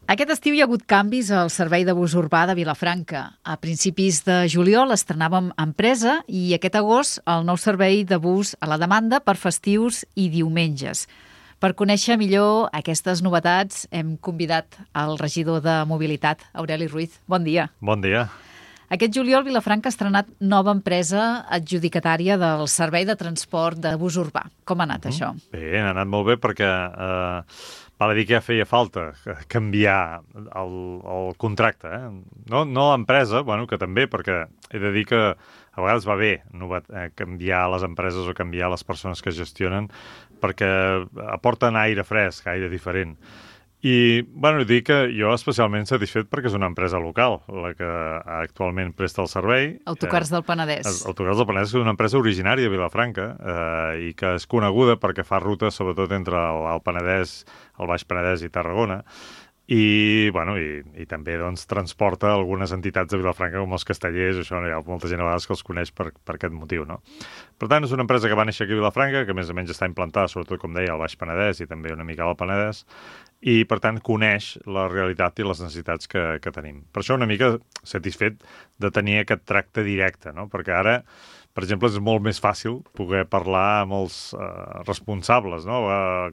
Aquest estiu hi ha hagut canvis al servei de bus urbà de Vilafranca. A principis de juliol estrenàvem empresa i aquest agost el nou servei de bus a la demanda per festius i diumenges. Per conèixer millor aquestes novetats hem convidat el regidor de Mobilitat, Aureli Ruiz. Bon dia. Bon dia. Aquest juliol Vilafranca ha estrenat nova empresa adjudicatària del servei de transport de bus urbà. Com ha anat això? Bé, ha anat molt bé perquè val a dir que ja feia falta canviar el contracte. No l'empresa, bueno, que també, perquè he de dir que a vegades va bé canviar les empreses o canviar les persones que gestionen perquè aporten aire fresc, aire diferent. I, bueno, dic que jo especialment satisfet perquè és una empresa local, la que actualment presta el servei. Autocars del Penedès. Autocars del Penedès és una empresa originària de Vilafranca i que és coneguda perquè fa rutes sobretot entre el Penedès, el Baix Penedès i Tarragona. I, bueno, i també doncs, transporta algunes entitats de Vilafranca com els castellers, això hi ha molta gent a vegades que els coneix per aquest motiu, no? Per tant, és una empresa que va néixer aquí a Vilafranca, que més o menys està implantada, sobretot, com deia, al Baix Penedès i també una mica al Penedès, i, per tant, coneix la realitat i les necessitats que tenim. Per això una mica satisfet de tenir aquest tracte directe, no? Perquè ara, per exemple, és molt més fàcil poder parlar amb els responsables, no?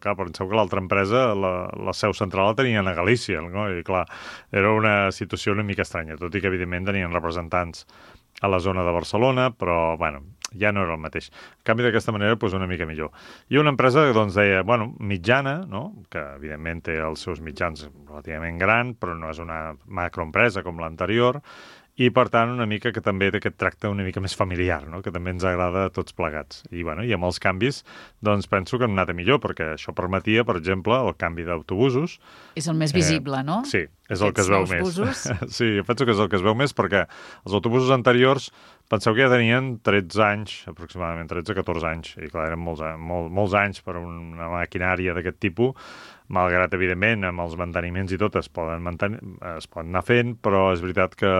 Clar, penseu que l'altra empresa, la seu central la tenien a Galícia, no? I, clar, era una situació una mica estranya, tot i que, evidentment, tenien representants a la zona de Barcelona, però, bueno, ja no era el mateix. En canvi, d'aquesta manera, doncs, una mica millor. I una empresa, doncs, deia, bueno, mitjana, no? Que, evidentment, té els seus mitjans relativament gran, però no és una macroempresa com l'anterior, i, per tant, una mica que també té aquest tracte una mica més familiar, no? Que també ens agrada a tots plegats. I, bueno, i amb els canvis, doncs, penso que han anat a millor, perquè això permetia, per exemple, el canvi d'autobusos. És el més visible, no? Sí, és el que es veu més. Busos. Sí, jo penso que és el que es veu més, perquè els autobusos anteriors, penseu que ja tenien 13 anys, aproximadament 13-14 anys, i clar, eren molts anys per una maquinària d'aquest tipus, malgrat, evidentment, amb els manteniments i tot es poden anar fent, però és veritat que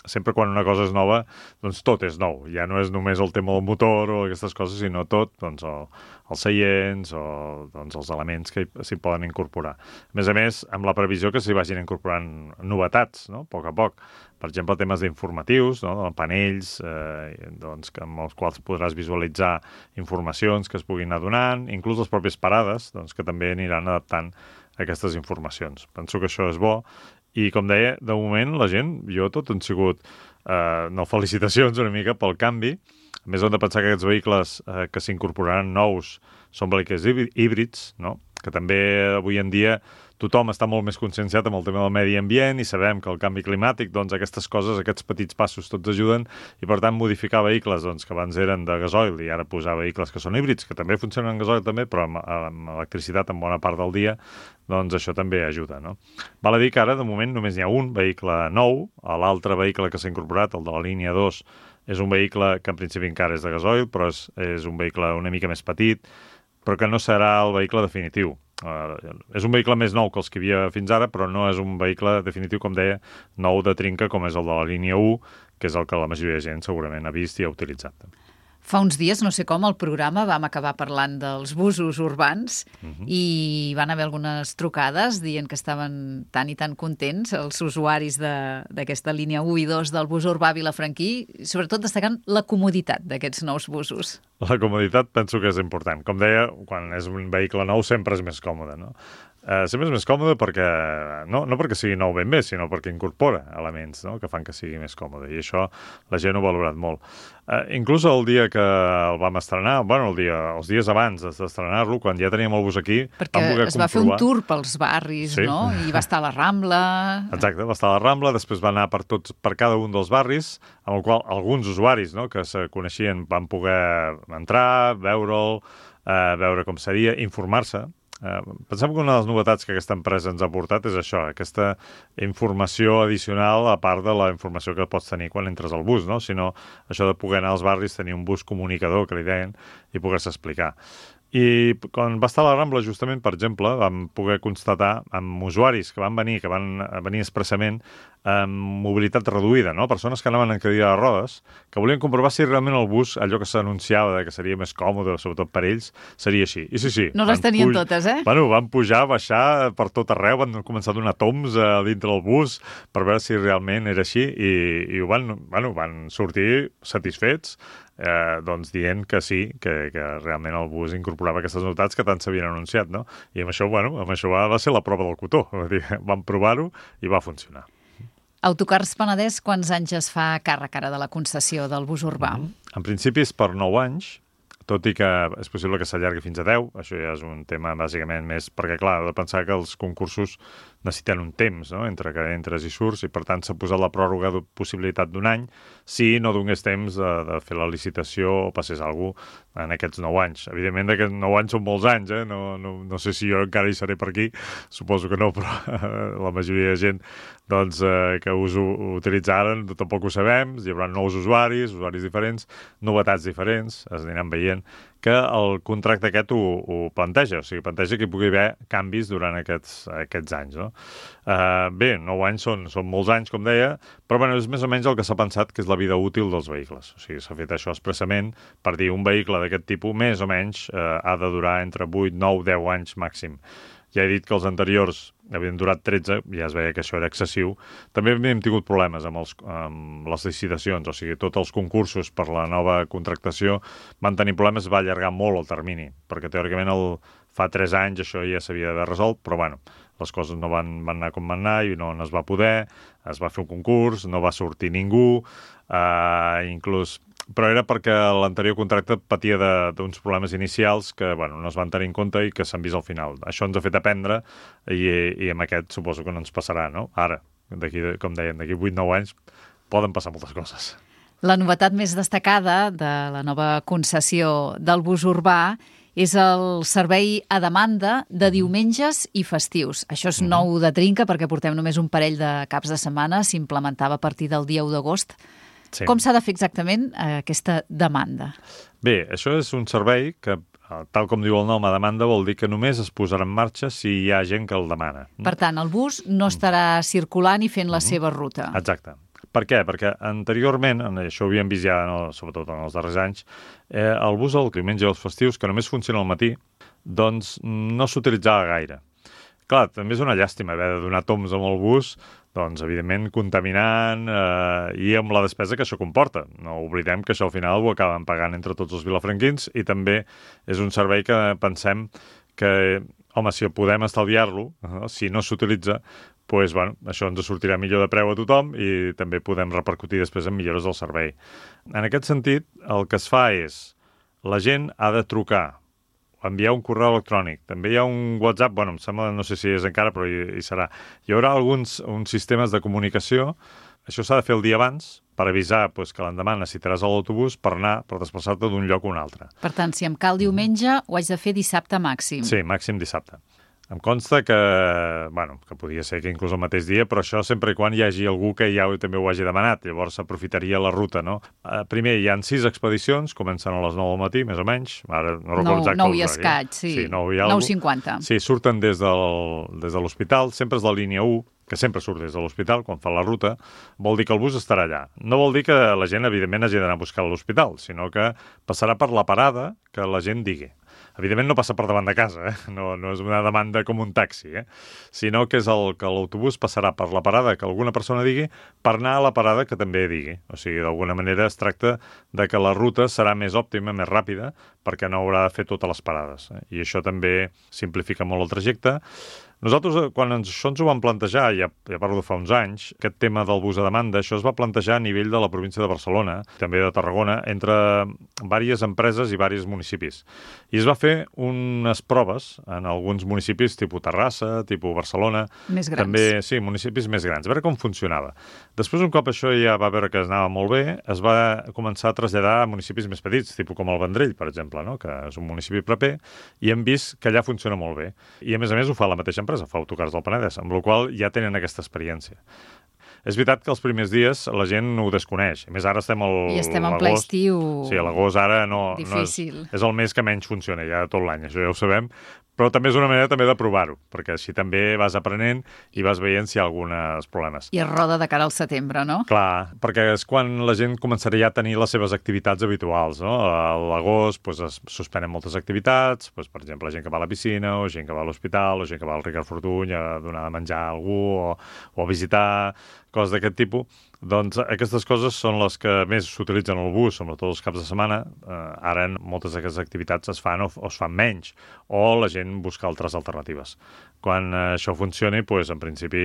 sempre quan una cosa és nova, doncs tot és nou. Ja no és només el tema del motor o aquestes coses, sinó tot, doncs els seients o doncs, els elements que s'hi poden incorporar. A més, amb la previsió que s'hi vagin incorporant novetats, no? A poc. Per exemple, temes d'informatius, no? Panells, doncs, amb els quals podràs visualitzar informacions que es puguin anar donant, inclús les pròpies parades, doncs, que també aniran adaptant aquestes informacions. Penso que això és bo. I, com deia, de moment, la gent, jo tot han sigut, felicitacions una mica pel canvi. A més, hem de pensar que aquests vehicles que s'incorporaran nous són vehicles híbrids, no? Que també avui en dia tothom està molt més conscienciat amb el tema del medi ambient i sabem que el canvi climàtic, doncs aquestes coses, aquests petits passos tots ajuden i, per tant, modificar vehicles doncs, que abans eren de gasoil i ara posar vehicles que són híbrids, que també funcionen en gasoil també, però amb electricitat en bona part del dia, doncs això també ajuda, no? Val a dir que ara, de moment, només n'hi ha un vehicle nou, l'altre vehicle que s'ha incorporat, el de la línia 2, és un vehicle que en principi encara és de gasoil, però és un vehicle una mica més petit, però que no serà el vehicle definitiu. És un vehicle més nou que els que hi havia fins ara, però no és un vehicle definitiu, com deia, nou de trinca, com és el de la línia 1, que és el que la majoria de gent segurament ha vist i ha utilitzat. Fa uns dies, no sé com, al programa vam acabar parlant dels busos urbans i van haver algunes trucades dient que estaven tan i tan contents els usuaris d'aquesta línia 1 i 2 del bus urbà vilafranquí, sobretot destacant la comoditat d'aquests nous busos. La comoditat penso que és important. Com deia, quan és un vehicle nou sempre és més còmode, no? Sempre és més còmode perquè, no perquè sigui nou ben bé, sinó perquè incorpora elements, no? Que fan que sigui més còmode, i això la gent ho ha valorat molt. Inclús el dia que el vam estrenar, bueno, els dies abans d'estrenar-lo, quan ja teníem el bus aquí, perquè es va fer un tour pels barris, sí. No? I va estar a la Rambla. Exacte, va estar a la Rambla, després va anar per cada un dels barris, amb el qual alguns usuaris, no, que se coneixien van poder entrar, veure'l, veure com seria, informar-se. Pensem que una de les novetats que aquesta empresa ens ha portat és això, aquesta informació addicional a part de la informació que pots tenir quan entres al bus, no? Sinó això de poder anar als barris, tenir un bus comunicador, que li deien, i poder-se explicar. I quan va estar a la Rambla, justament, per exemple, vam poder constatar amb usuaris que van venir expressament amb mobilitat reduïda, no? Persones que anaven en cadira de rodes, que volien comprovar si realment el bus, allò que s'anunciava que seria més còmode, sobretot per ells, seria així. I sí. No les tenien totes, eh? Bueno, van pujar, baixar per tot arreu, van començar a donar toms dintre del bus per veure si realment era així i van sortir satisfets, doncs dient que sí, que realment el bus incorporava aquestes novetats que tant s'havien anunciat, no? I amb això va ser la prova del cotó. Vam provar-ho i va funcionar. Autocars Penedès, quants anys es fa càrrec ara de la concessió del bus urbà? En principi és per 9 anys, tot i que és possible que s'allargui fins a 10. Això ja és un tema bàsicament més... Perquè, clar, heu de pensar que els concursos necessiten un temps, no?, entre que entres i surts, i per tant s'ha posat la pròrroga de possibilitat d'un any si no donés temps de fer la licitació o passés alguna cosa en aquests 9 anys. Evidentment, aquests 9 anys són molts anys, no sé si jo encara hi seré per aquí, suposo que no, però la majoria de gent que us ho utilitzaren tampoc ho sabem, hi haurà nous usuaris diferents, novetats diferents, es aniran veient, que el contracte aquest ho planteja, o sigui, planteja que hi pugui haver canvis durant aquests anys, no? Bé, 9 anys són molts anys, com deia, però és més o menys el que s'ha pensat que és la vida útil dels vehicles. O sigui, s'ha fet això expressament per dir un vehicle d'aquest tipus, més o menys, ha de durar entre 8, 9, 10 anys màxim. Ja he dit que els anteriors havien durat 13, ja es veia que això era excessiu. També havíem tingut problemes amb les licitacions, o sigui, tots els concursos per la nova contractació van tenir problemes, va allargar molt el termini, perquè teòricament fa 3 anys això ja s'havia d'haver resolt, però les coses no van anar com van anar i no es va poder, es va fer un concurs, no va sortir ningú, però era perquè l'anterior contracte patia d'uns problemes inicials que no es van tenir en compte i que s'han vist al final. Això ens ha fet aprendre i amb aquest suposo que no ens passarà, no? Ara, com dèiem, d'aquí 8-9 anys poden passar moltes coses. La novetat més destacada de la nova concessió del bus urbà és el servei a demanda de diumenges i festius. Això és nou de trinca perquè portem només un parell de caps de setmana, s'implementava a partir del dia 1 d'agost. Sí. Com s'ha de fer exactament aquesta demanda? Bé, això és un servei que, tal com diu el nom, a demanda vol dir que només es posarà en marxa si hi ha gent que el demana. Per tant, el bus no estarà circulant i fent la seva ruta. Exacte. Per què? Perquè anteriorment, això ho havíem vist ja, sobretot en els darrers anys, el bus el diumenge i els festius, que només funciona al matí, doncs no s'utilitzava gaire. Clar, també és una llàstima haver de donar toms amb el bus, doncs, evidentment, contaminant i amb la despesa que això comporta. No oblidem que això al final ho acaben pagant entre tots els vilafranquins i també és un servei que pensem que, home, si podem estalviar-lo, si no s'utilitza, doncs, això ens sortirà millor de preu a tothom i també podem repercutir després en millores del servei. En aquest sentit, el que es fa és la gent ha de trucar, enviar un correu electrònic. També hi ha un WhatsApp, em sembla, no sé si és encara, però hi serà. Hi haurà uns sistemes de comunicació. Això s'ha de fer el dia abans per avisar que l'endemà necessitaràs l'autobús per desplaçar-te d'un lloc a un altre. Per tant, si em cal diumenge, ho haig de fer dissabte màxim. Sí, màxim dissabte. Em consta que podia ser que inclús el mateix dia, però això sempre i quan hi hagi algú que ja també ho hagi demanat. Llavors s'aprofitaria la ruta, no? Primer, hi ha 6 expedicions, comencen a les 9 del matí, més o menys. Ara no recordo exacte. 9 i escaig, sí. 9:50. Sí, surten des de l'hospital, sempre és la línia 1, que sempre surt des de l'hospital quan fa la ruta, vol dir que el bus estarà allà. No vol dir que la gent, evidentment, hagi d'anar a buscar a l'hospital, sinó que passarà per la parada que la gent digui. Evidentment no passa per davant de casa, no és una demanda com un taxi, sinó que és que l'autobús passarà per la parada que alguna persona digui per anar a la parada que també digui. O sigui, d'alguna manera es tracta de que la ruta serà més òptima, més ràpida, perquè no haurà de fer totes les parades. I això també simplifica molt el trajecte. Nosaltres, quan això ens ho vam plantejar, ja parlo de fa uns anys, aquest tema del bus a demanda, això es va plantejar a nivell de la província de Barcelona, també de Tarragona, entre diverses empreses i diversos municipis. I es va fer unes proves en alguns municipis tipus Terrassa, tipus Barcelona. Més grans. També, sí, municipis més grans, a veure com funcionava. Després, un cop això ja va veure que anava molt bé, es va començar a traslladar a municipis més petits, tipus com el Vendrell, per exemple, no? Que és un municipi proper, i hem vist que allà funciona molt bé. I, a més ho fa la mateixa empresa, fa Autocars del Penedès, amb la qual ja tenen aquesta experiència. És veritat que els primers dies la gent ho desconeix. A més, ara estem I estem en ple estiu. Sí, l'agost ara no Difícil. és el mes que menys funciona ja tot l'any, això ja ho sabem, però també és una manera també de provar-ho, perquè així també vas aprenent i vas veient si hi ha alguns problemes. I es roda de cara al setembre, no? Clar, perquè és quan la gent començarà ja a tenir les seves activitats habituals, no? A l'agost es suspenen moltes activitats, per exemple, gent que va a la piscina, o gent que va a l'hospital, o gent que va al Ricard Fortuny a donar de menjar a algú, o a visitar, coses d'aquest tipus. Doncs aquestes coses són les que més s'utilitzen al bus, sobretot els caps de setmana. Ara moltes d'aquestes activitats es fan o es fan menys, o la gent busca altres alternatives. Quan això funcioni, doncs, en principi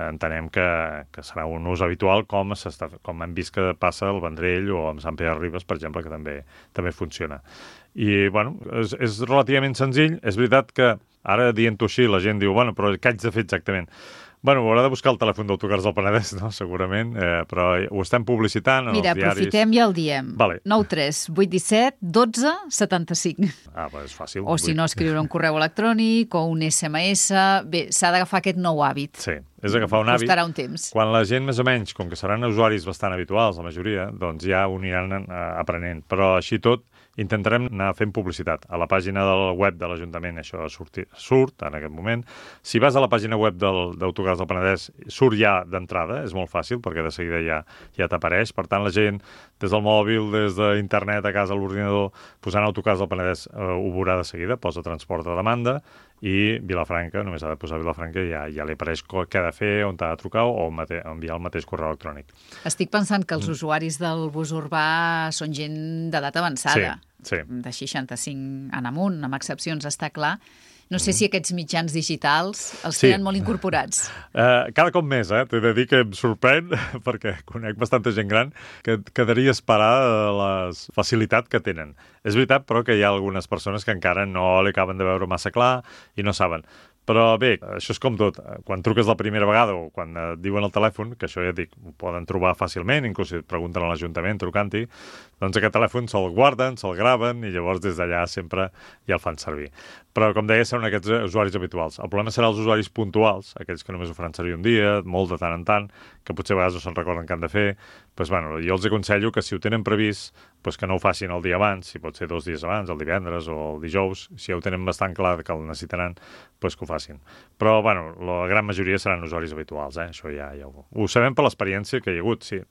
entenem que serà un ús habitual, com hem vist que passa al Vendrell o amb Sant Pere de Ribes, per exemple, que també funciona. I, bueno, és relativament senzill. És veritat que ara, dient-ho així, la gent diu, bueno, però què haig de fer exactament? Bueno, haurà de buscar el telèfon d'Autocars del Penedès, no? Segurament, però ho estem publicitant en els diaris. Mira, aprofitem i el diem. Vale. 9 3 8 17 12 75. Ah, doncs és fàcil. O si no, escriure un correu electrònic o un SMS. Bé, s'ha d'agafar aquest nou hàbit. Sí, és agafar un hàbit. Costarà un temps. Quan la gent, més o menys, com que seran usuaris bastant habituals, la majoria, doncs ja ho aniran aprenent. Però així tot, intentarem anar fent publicitat. A la pàgina del web de l'Ajuntament això surt en aquest moment. Si vas a la pàgina web d'Autocars del Penedès, surt ja d'entrada, és molt fàcil, perquè de seguida ja t'apareix. Per tant, la gent, des del mòbil, des d'internet, a casa, a l'ordinador, posant Autocars del Penedès, ho veurà de seguida, posa transport a demanda, i Vilafranca, només ha de posar Vilafranca i ja li apareix què ha de fer, on t'ha de trucar o enviar el mateix correu electrònic. Estic pensant que els usuaris del bus urbà són gent d'edat avançada, sí. De 65 en amunt, amb excepcions, està clar. No sé si aquests mitjans digitals els tenen molt incorporats. Cada cop més, t'he de dir que em sorprèn, perquè conec bastanta gent gran, que quedaria esperar la facilitat que tenen. És veritat, però, que hi ha algunes persones que encara no li acaben de veure massa clar i no saben. Però bé, això és com tot. Quan truques la primera vegada o quan et diuen al telèfon, que això ja et dic, ho poden trobar fàcilment, inclús si et pregunten a l'Ajuntament trucant-hi, doncs aquest telèfon se'l guarden, se'l graven i llavors des d'allà sempre ja el fan servir. Però, com deia, són aquests usuaris habituals. El problema serà els usuaris puntuals, aquells que només ho faran servir un dia, molt de tant en tant, que potser a vegades no se'n recorden què han de fer. Doncs, bueno, jo els aconsello que si ho tenen previst, doncs que no ho facin el dia abans, si pot ser 2 dies abans, el divendres o el dijous, si ja ho tenen bastant clar que el necessitaran, doncs que ho facin. Però, bueno, la gran majoria seran usuaris habituals, això ja ho sabem per l'experiència que hi ha hagut. Sí.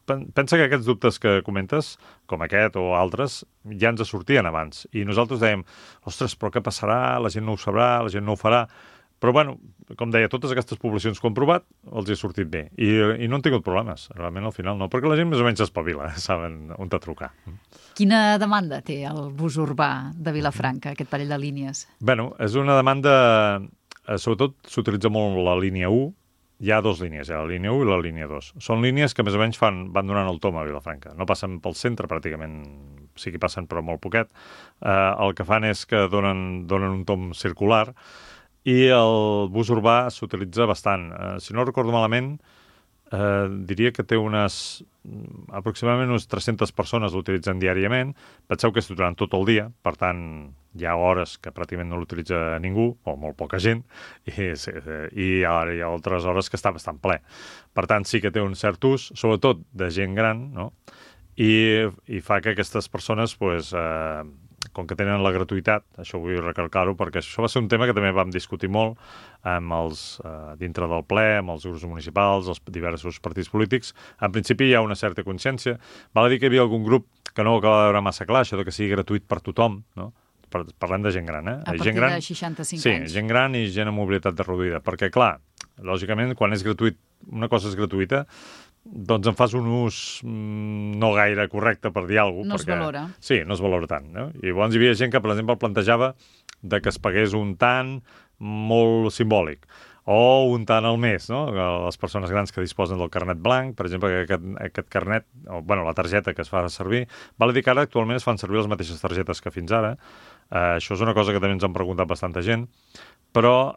Pensa que aquests dubtes que comentes, com aquest o altres, ja ens sortien abans. I nosaltres dèiem, ostres, però què passarà? La gent no ho sabrà, la gent no ho farà. Però, bueno, com deia, totes aquestes poblacions que ho han provat els hi ha sortit bé. I no han tingut problemes. Realment, al final, no. Perquè la gent més o menys s'espavila, saben on t'ha trucar. Quina demanda té el bus urbà de Vilafranca, aquest parell de línies? Bueno, és una demanda... Sobretot s'utilitza molt la línia 1. Hi ha 2 línies, la línia 1 i la línia 2. Són línies que més o menys van donant el tom a Vilafranca. No passen pel centre, pràcticament, sí que passen, però molt poquet. El que fan és que donen un tom circular i el bus urbà s'utilitza bastant. Si no recordo malament, diria que té aproximadament unes 300 persones l'utilitzen diàriament. Penseu que és durant tot el dia, per tant, hi ha hores que pràcticament no l'utilitza ningú, o molt poca gent, i ara hi ha altres hores que està bastant ple. Per tant, sí que té un cert ús, sobretot de gent gran, no? I fa que aquestes persones, com que tenen la gratuïtat, això vull recalcar-ho, perquè això va ser un tema que també vam discutir molt dintre del ple, amb els grups municipals, els diversos partits polítics. En principi hi ha una certa consciència. Val a dir que hi havia algun grup que no ho acaba de veure massa clar, això de que sigui gratuït per tothom, no? Parlem de gent gran, A partir de 65 anys. Sí, gent gran i gent amb mobilitat reduïda. Perquè, clar, lògicament, quan és gratuït, una cosa és gratuïta, doncs en fas un ús no gaire correcte, per dir alguna cosa. No es valora. Sí, no es valora tant. No? I llavors hi havia gent que, per exemple, plantejava de que es pagués un tant molt simbòlic o un tant al mes, no? Les persones grans que disposen del carnet blanc, per exemple, que aquest carnet, la targeta que es fa servir, val a dir que ara actualment es fan servir les mateixes targetes que fins ara. Això és una cosa que també ens han preguntat bastanta gent, però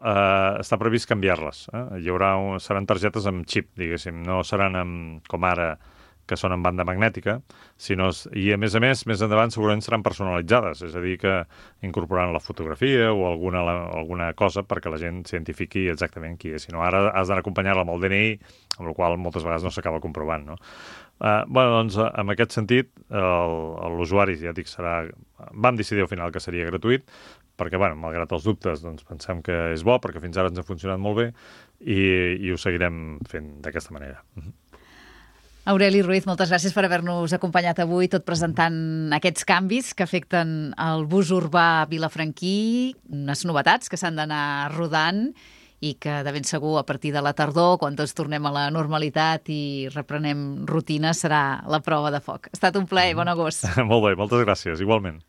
està previst canviar-les. Seran targetes amb xip, diguéssim, no seran com ara que són en banda magnètica, i a més, més endavant segurament seran personalitzades, és a dir, que incorporant la fotografia o alguna cosa perquè la gent s'identifiqui exactament qui és. Si no, ara has d'anar acompanyar-la amb el DNI, amb la qual moltes vegades no s'acaba comprovant, no? Doncs, en aquest sentit, l'usuari, ja dic, vam decidir al final que seria gratuït, perquè, malgrat els dubtes, doncs, pensem que és bo, perquè fins ara ens ha funcionat molt bé i ho seguirem fent d'aquesta manera. Aureli Ruiz, moltes gràcies per haver-nos acompanyat avui, tot presentant aquests canvis que afecten el bus urbà vilafranquí, unes novetats que s'han d'anar rodant i que de ben segur a partir de la tardor, quan tots tornem a la normalitat i reprenem rutina, serà la prova de foc. Ha estat un plaer, bon agost. Molt bé, moltes gràcies, igualment.